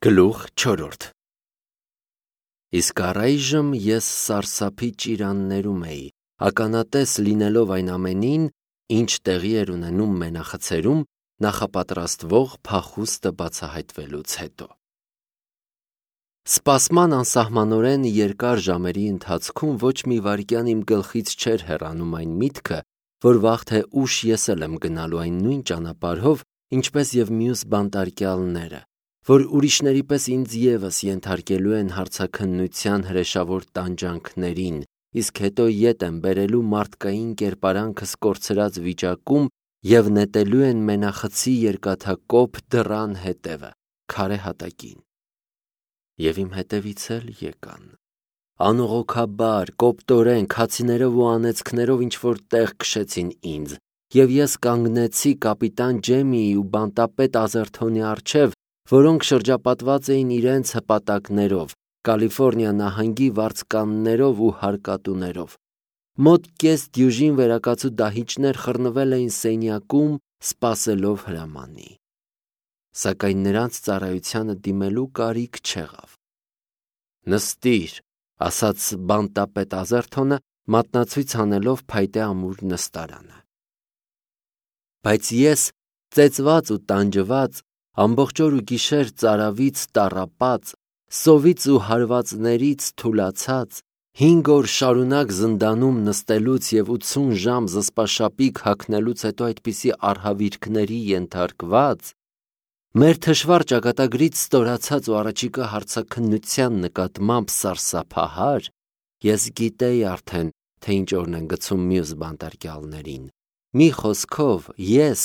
Գլուխ 4 Իսկ առայժմ ես սարսափի ճիրաններում էի, ականատես լինելով այն ամենին, ինչ տեղի էր ունենում մենախցերում նախապատրաստվող փախուստը բացահայտվելուց հետո։ Սպասման անսահմանորեն երկար ժամերի ընթացքում ոչ մի վայրկյան իմ գլխից չէր հեռանում այն միտքը, որ վաղ թե ուշ ես էլ եմ գնալու այն նույն ճանապարհով, ինչպես և մյուս բանտարկյալները, որ ուրիշների պես ինձ ևս ենթարկելու են հարցաքննության հրեշավոր տանջանքներին, իսկ հետո ետ են բերելու մարդկային կերպարանքս կորցրած վիճակում և նետելու են մենախցի երկաթակոփ դռան հետևը, քարե հատակին։ Եվ իմ հետևից էլ եկան։ Անողոքաբար, կոպտորեն, քացիներով ու անեծքներով ինչ-որ տեղ քշեցին ինձ, և ես կանգնեցի կապիտան Ջեմիի ու բանտապետ Ազերթոնի առջև, որոնք շրջապատված էին իրենց հպատակներով, Կալիֆոռնիա նահանգի վարձկաններով ու հարկատուներով։ Մոտ կես դյուժին վերակացու դահիճներ խռնվել էին սենյակում, սպասելով հրամանի։ Սակայն նրանց ծառայությանը դիմելու կարիք չեղավ։ «Նստիր», ասաց բանտապետ Ազերթոնը, մատնացույց անելով փայտե ամուր նստարանը։ Բայց ես, ծեծված ու տանջված, ամբողջ օր ու գիշեր ծարավից տառապած, սովից ու հարվածներից թուլացած, 5 օր շարունակ զնդանում նստելուց և 80 ժամ զսպաշապիկ հագնելուց հետո այդպիսի արհավիրքների ենթարկված, մեր թշվառ ճակատագրից ստորացած ու առաջիկա հարցաքննության նկատմամբ սարսափահար, ես գիտեի արդեն, թե ինչ օրն են գցում մյուս բանտարկյալներին։ Մի խոսքով, ես,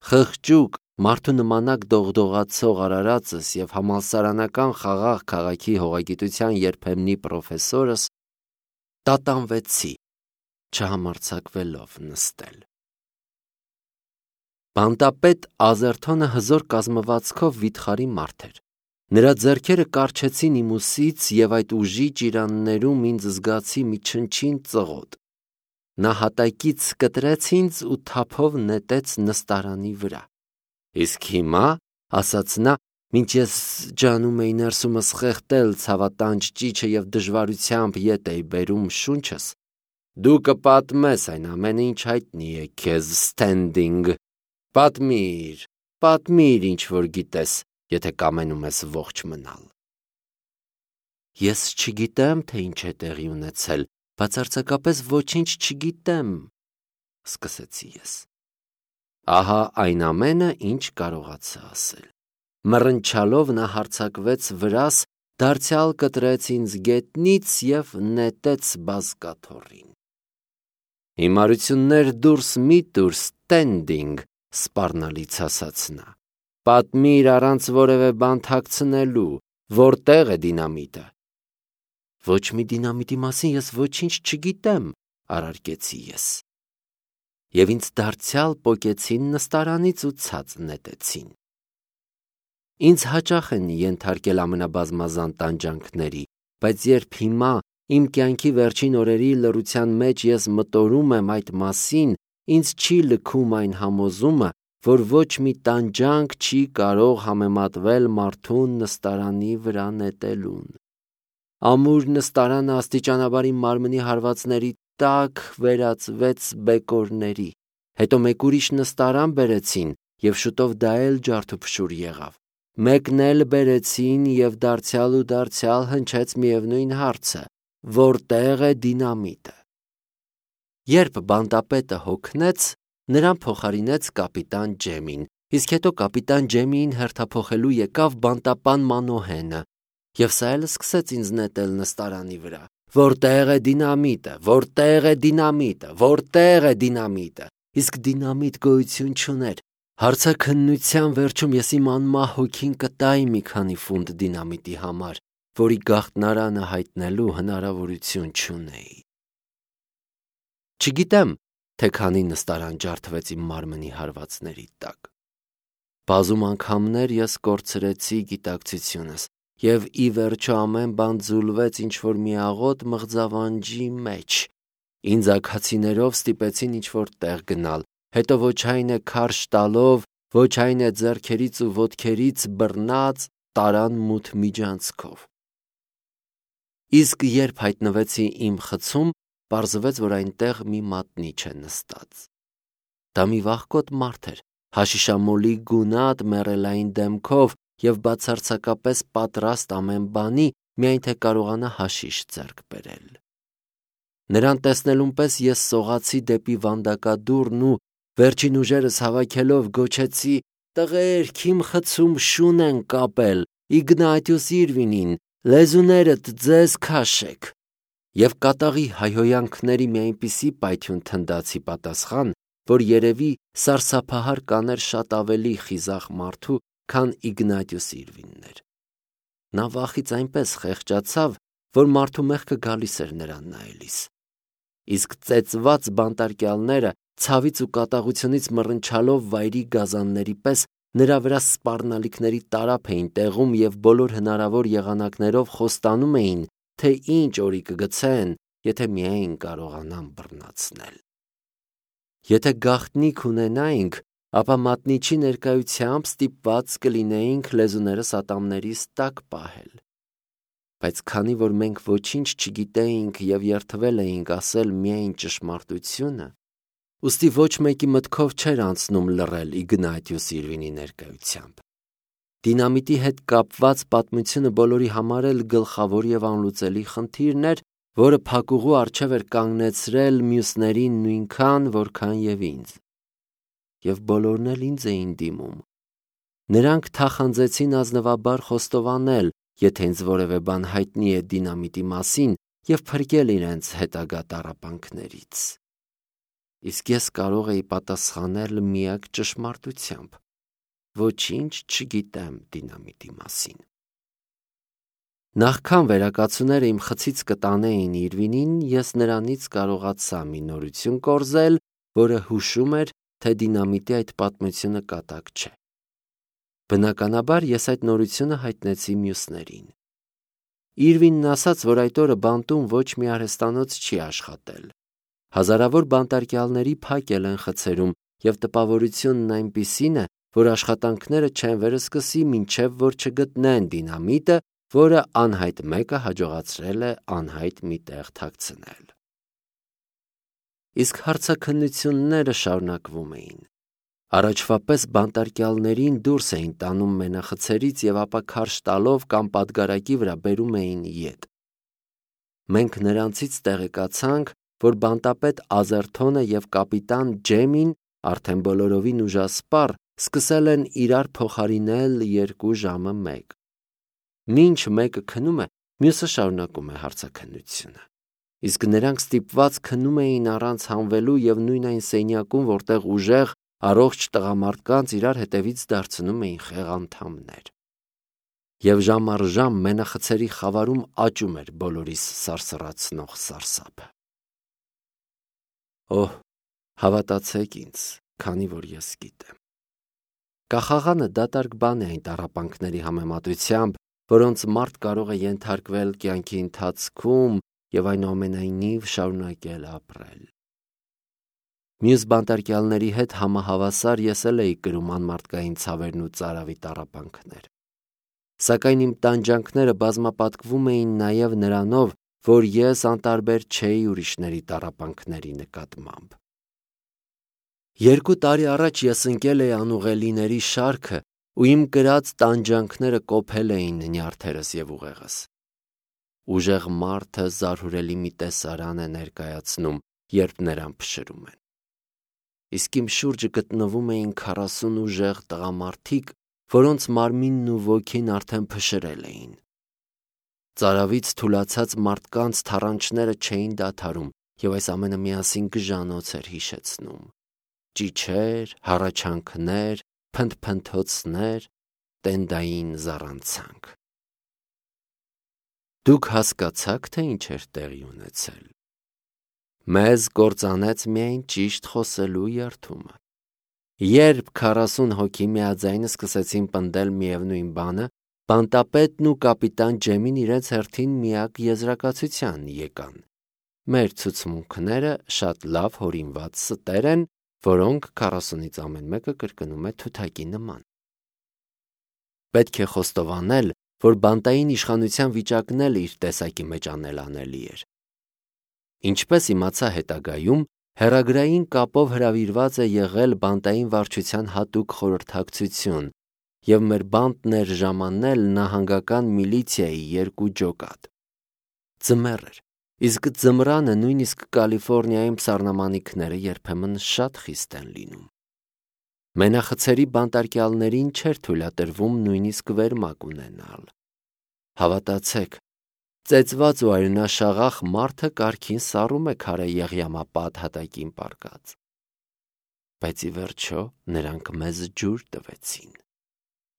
խղճուկ, մարդու նմանակ դողդողացող արարածս և համալսարանական խաղաղ քաղաքի հողագիտության երբեմնի պրոֆեսորս, տատանվեցի, չհամարձակվելով նստել։ Բանտապետ Ազերթոնը հզոր կազմվածքով վիթխարի մարդ էր։ Նրա ձեռքերը կառչեցին իմ ուսից և այդ ուժի ճիրաններում ինձ զգացի մի չնչին ծղոտ։ Նա հատակից կտրեց ինձ ու թափով նետեց նստարանի վրա։ «Իսկ հիմա», ասաց նա, մինչ ես ջանում էի ներսումս խեղդել ցավատանջ ճիչը և դժվարությամբ ետ էի բերում շունչս, «դու կպատմես այն ամենը, ինչ հայտնի է քեզ, Սթենդինգ, պատմիր, ինչ որ գիտես, եթե կամենում ես ողջ մնալ»։ Ես չգիտեմ, թե ինչ է տեղի ունեցել, բացարձակապես ոչինչ չգիտեմ, սկսեցի ես։ Ահա այն ամենը, ինչ կարողացա ասել։ Մռնչալով նա հարձակվեց վրաս, դարձյալ կտրեց ինձ գետնից և նետեց բազկաթոռին։ «Հիմարություններ դուրս մի տուր, Սթենդինգ», սպառնալից ասաց նա։ «Պատմիր առանց որևէ բան թաքցնելու, որտե՞ղ է դինամիտը»։ «Ոչ մի դինամիտի մասին ես ոչինչ չգիտեմ», առարկեցի ես։ Եվ ինձ դարձյալ պոկեցին նստարանից ու ցած նետեցին։ Ինձ հաճախ են ենթարկել ամենաբազմազան տանջանքների, բայց երբ հիմա, իմ կյանքի վերջին օրերի լռության մեջ ես մտորում եմ այդ մասին, ինձ չի լքում այն համոզումը, որ ոչ մի տանջանք չի կարող համեմատվել մարդուն նստարանի վրա նետելուն։ Ամուր նստարանը աստիճանաբար իմ մարմնի հարվածների տակ վերածվեց բեկորների, հետո մեկ ուրիշ նստարան բերեցին, և շուտով դա էլ ջարդուփշուր եղավ։ Մեկն էլ բերեցին և դարձյալ հնչեց միևնույն հարցը. որտե՞ղ է դինամիտը։ Երբ բանտապետը հոգնեց, նրան փոխարինեց կապիտան Ջեմին, իսկ հետո կապիտան Ջեմիին հերթափոխելու եկավ բանտապան Մանոհենը, և սա էլ սկսեց ինձ նետել նստարանի վրա. «Որտե՞ղ է դինամիտը, որտե՞ղ է դինամիտը, որտե՞ղ է դինամիտը», իսկ դինամիտ գոյություն չուներ։ Հարցաքննության վերջում ես իմ անմահ հոգին կտայի մի քանի ֆունտ դինամիտի համար, որի գաղտնարանը հայտնելու հնարավորություն չունեի։ Չգիտեմ, թե քանի նստարան ջարդվեց իմ մարմնի հարվածների տակ։ Բազում անգամներ ես կորցրեցի գիտակցությունս, և ի վերջո ամեն բան ձուլվեց ինչ-որ մի աղոտ մղձավանջի մեջ։ Ինձ աքացիներով ստիպեցին ինչ-որ տեղ գնալ, հետո ոչ այն է քարշ տալով, ոչ այն է ձեռքերից ու ոտքերից բռնած, տարան մութ միջանցքով։ Իսկ երբ հայտնվեցի իմ խցում, պարզվեց, որ այնտեղ մի մատնիչ է նստած։ Դա մի վախկոտ մարդ էր, հաշիշամոլի գունատ մեռելային դեմքով և բացարձակապես պատրաստ ամեն բանի, միայն թե կարողանա հաշիշ ձեռք բերել։ Նրան տեսնելուն պես ես սողացի դեպի վանդակադուռն ու վերջին ուժերս հավաքելով գոչեցի. «Տղերք, իմ խցում շուն են կապել, Իգնատիուս Իրվինին, լեզուներդ ձեզ քաշեք»։ Եվ կատաղի հայհոյանքների մի այնպիսի պայթյուն թնդացի պատասխան, որ երևի սարսափահար կաներ շատ ավելի խիզախ մարդու, քան Իգնատիուս Իրվինն էր։ Նա վախից այնպես խեղճացավ, որ մարդու մեղքը գալիս էր նրան նայելիս։ Իսկ ծեծված բանտարկյալները ցավից ու կատաղությունից մռնչալով վայրի գազանների պես նրա վրա սպառնալիքների տարափ էին տեղում և բոլոր հնարավոր եղանակներով խոստանում էին, թե ինչ օրի կգցեն, եթե միայն կարողանան բռնացնել։ Եթե գաղտնիք ունենայինք, ապա մատնիչի ներկայությամբ ստիպված կլինեինք լեզուներս ատամներիս տակ պահել։ Բայց քանի որ մենք ոչինչ չգիտեինք և երդվել էինք ասել միայն ճշմարտությունը, ուստի ոչ մեկի մտքով չէր անցնում լռել Իգնատիուս Իրվինի ներկայությամբ։ Դինամիտի հետ կապված պատմությունը բոլորի համար էլ գլխավոր և անլուծելի խնդիրն էր, որը փակուղու առջև էր կանգնեցրել մյուսներին նույնքան, որքան և ինձ։ Եվ բոլորն էլ ինձ էին դիմում։ Նրանք թախանձեցին ազնվաբար խոստովանել, եթե ինձ որևէ բան հայտնի է դինամիտի մասին, և փրկել իրենց հետագա տառապանքներից։ Իսկ ես կարող էի պատասխանել միակ ճշմարտությամբ. ոչինչ չգիտեմ դինամիտի մասին։ Նախքան վերակացուները իմ խցից կտանեին Իրվինին, ես նրանից կարողացա մի նորություն կորզել, որը հուշում էր, թե դինամիտի այդ պատմությունը կատակ չէ։ Բնականաբար ես այդ նորությունը հայտնեցի մյուսներին։ Իրվինն ասաց, որ այդ օրը բանտում ոչ մի արհեստանոց չի աշխատել։ Հազարավոր բանտարկյալների փակել են խցերում, և տպավորությունն այնպիսին է, որ աշխատանքները չեն վերսկսի, մինչև որ չգտնեն դինամիտը, որը անհայտ մեկը հաջողացրել է անհայտ մի տեղ թաքցնել։ Իսկ հարցաքննությունները շարունակվում էին։ Առաջվա պես բանտարկյալներին դուրս էին տանում մենախցերից և ապա քարշ տալով կամ պատգարակի վրա բերում էին ետ։ Մենք նրանցից տեղեկացանք, որ բանտապետ Ազերթոնը և կապիտան Ջեմին արդեն բոլորովին ուժասպառ սկսել են իրար փոխարինել 2 ժամը 1։ Մինչ մեկը քնում է, մյուսը շարունակում է հարցաքննությունը։ Իսկ նրանք ստիպված քնում էին առանց հանվելու և նույն այն սենյակում, որտեղ ուժեղ, առողջ տղամարդկանց իրար հետևից դարձնում էին խեղանդամներ։ Եվ ժամ առ ժամ մենախցերի խավարում աճում էր բոլորիս սարսռացնող սարսափը։ Օհ, հավատացեք ինձ, քանի որ ես գիտեմ։ Կախաղանը դատարկ բան է այն տառապանքների համեմատությամբ, որոնց մարդ կարող է ենթարկվել կյանքի ընթացքում և այնուամենայնիվ շարունակել ապրել։ Մյուս բանտարկյալների հետ համահավասար ես էլ էի կրում անմարդկային ցավերն ու ծարավի տառապանքներ։ Սակայն իմ տանջանքները բազմապատկվում էին նաև նրանով, որ ես անտարբեր չէի ուրիշների տառապանքների նկատմամբ։ 2 տարի առաջ ես ընկել էի անուղելիների շարքը ու իմ կրած տանջանքները կոփել էին նյարդերս և ուղեղս։ Ուժեղ մարդը զարհուրելի մի տեսարան է ներկայացնում, երբ նրան փշրում են։ Իսկ իմ շուրջը գտնվում էին 40 ուժեղ տղամարդիկ, որոնց մարմինն ու ոգին արդեն փշրել էին։ Ծարավից թուլացած մարդկանց թառանչները չէին դադարում, և այս ամենը միասին գժանոց էր հիշեցնում։ Ճիչեր, հառաչանքներ, փնթփնթոցներ, տենդային զառանցանք։ Դուք հասկացա՞ք, թե ինչ էր տեղի ունեցել։ Մեզ կործանեց միայն ճիշտ խոսելու երդումը։ Երբ 40 հոգի միաձայն սկսեցին պնդել միևնույն բանը, բանտապետն ու կապիտան Ջեմին իրենց հերթին միակ եզրակացության եկան։ Մեր ցուցմունքները շատ լավ հորինված ստեր են, որոնք 40-ից ամեն մեկը կրկնում է թութակի նման։ Պետք է խոստովանել, որ բանտային իշխանության վիճակն էլ իր տեսակի մեջ անելանելի էր։ Ինչպես իմացա հետագայում, հեռագրային կապով հրավիրված է եղել բանտային վարչության հատուկ խորհրդակցություն և մեր բանտն էր ժամանել նահանգական միլիցիայի 2 ջոկատ։ Ձմեռ էր, իսկ ձմռանը նույնիսկ Կալիֆոռնիայում սառնամանիքները երբեմն շատ խիստ են լինում։ Մենախցերի բանտարկյալներին չէր թույլատրվում նույնիսկ վերմակ ունենալ։ Հավատացեք, ծեծված ու արյունաշաղախ մարդը կարգին սառում է քարե եղյամապատ հատակին պառկած։ Բայց ի վերջո նրանք մեզ ջուր տվեցին։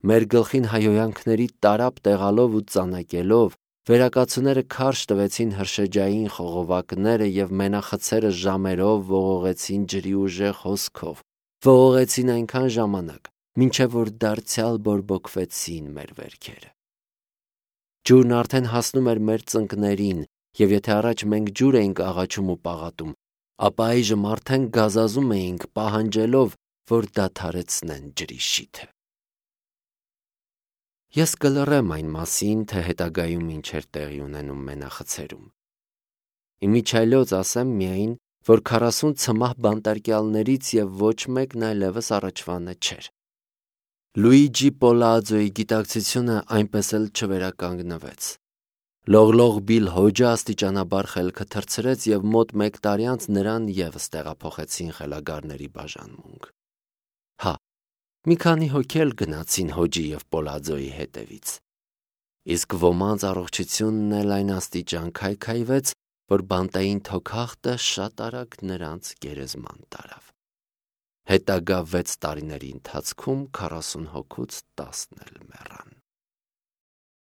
Մեր գլխին հայհոյանքների տարափ տեղալով ու ծանակելով, վերակացուները քարշ տվեցին հրշեջային խողովակները և մենախցերը ժամերով ողողեցին ջրի ուժեղ հոսքով, ողողեցին այնքան ժամանակ, մինչև որ դարձյալ բորբոքվեցին մեր վերքերը։ Ջուրն արդեն հասնում էր մեր ծնկներին, և եթե առաջ մենք ջուր էինք աղաչում ու պաղատում, ապա այժմ արդեն գազազում էինք, պահանջելով, որ դադարեցնեն ջրի շիթը։ Ես կլռեմ այն մասին, թե հետագայում ինչ էր տեղի ունենում մենախցերում։ Իմիջիայլոց ասեմ միայն, որ 40 ցմահ բանտարկյալներից և ոչ մեկն այլևս առաջվանը չէր։ Լուիջի Պոլաձոյի գիտակցությունը այնպես էլ չվերականգնվեց։ Լողլող Բիլ Հոջը աստիճանաբար խելքը թռցրեց և մոտ 1 տարի անց նրան ևս տեղափոխեցին խելագարների բաժանմունք։ Հա, մի քանի հոգի էլ գնացին Հոջի և Պոլաձոյի հետևից։ Իսկ ոմանց առողջությունն էլ այն աստիճան քայքայվեց, որ բանտային թոքախտը շատ արագ նրանց գերեզման տարավ։ Հետագա 6 տարիների ընթացքում 40 հոգուց 10-ն էլ մեռան։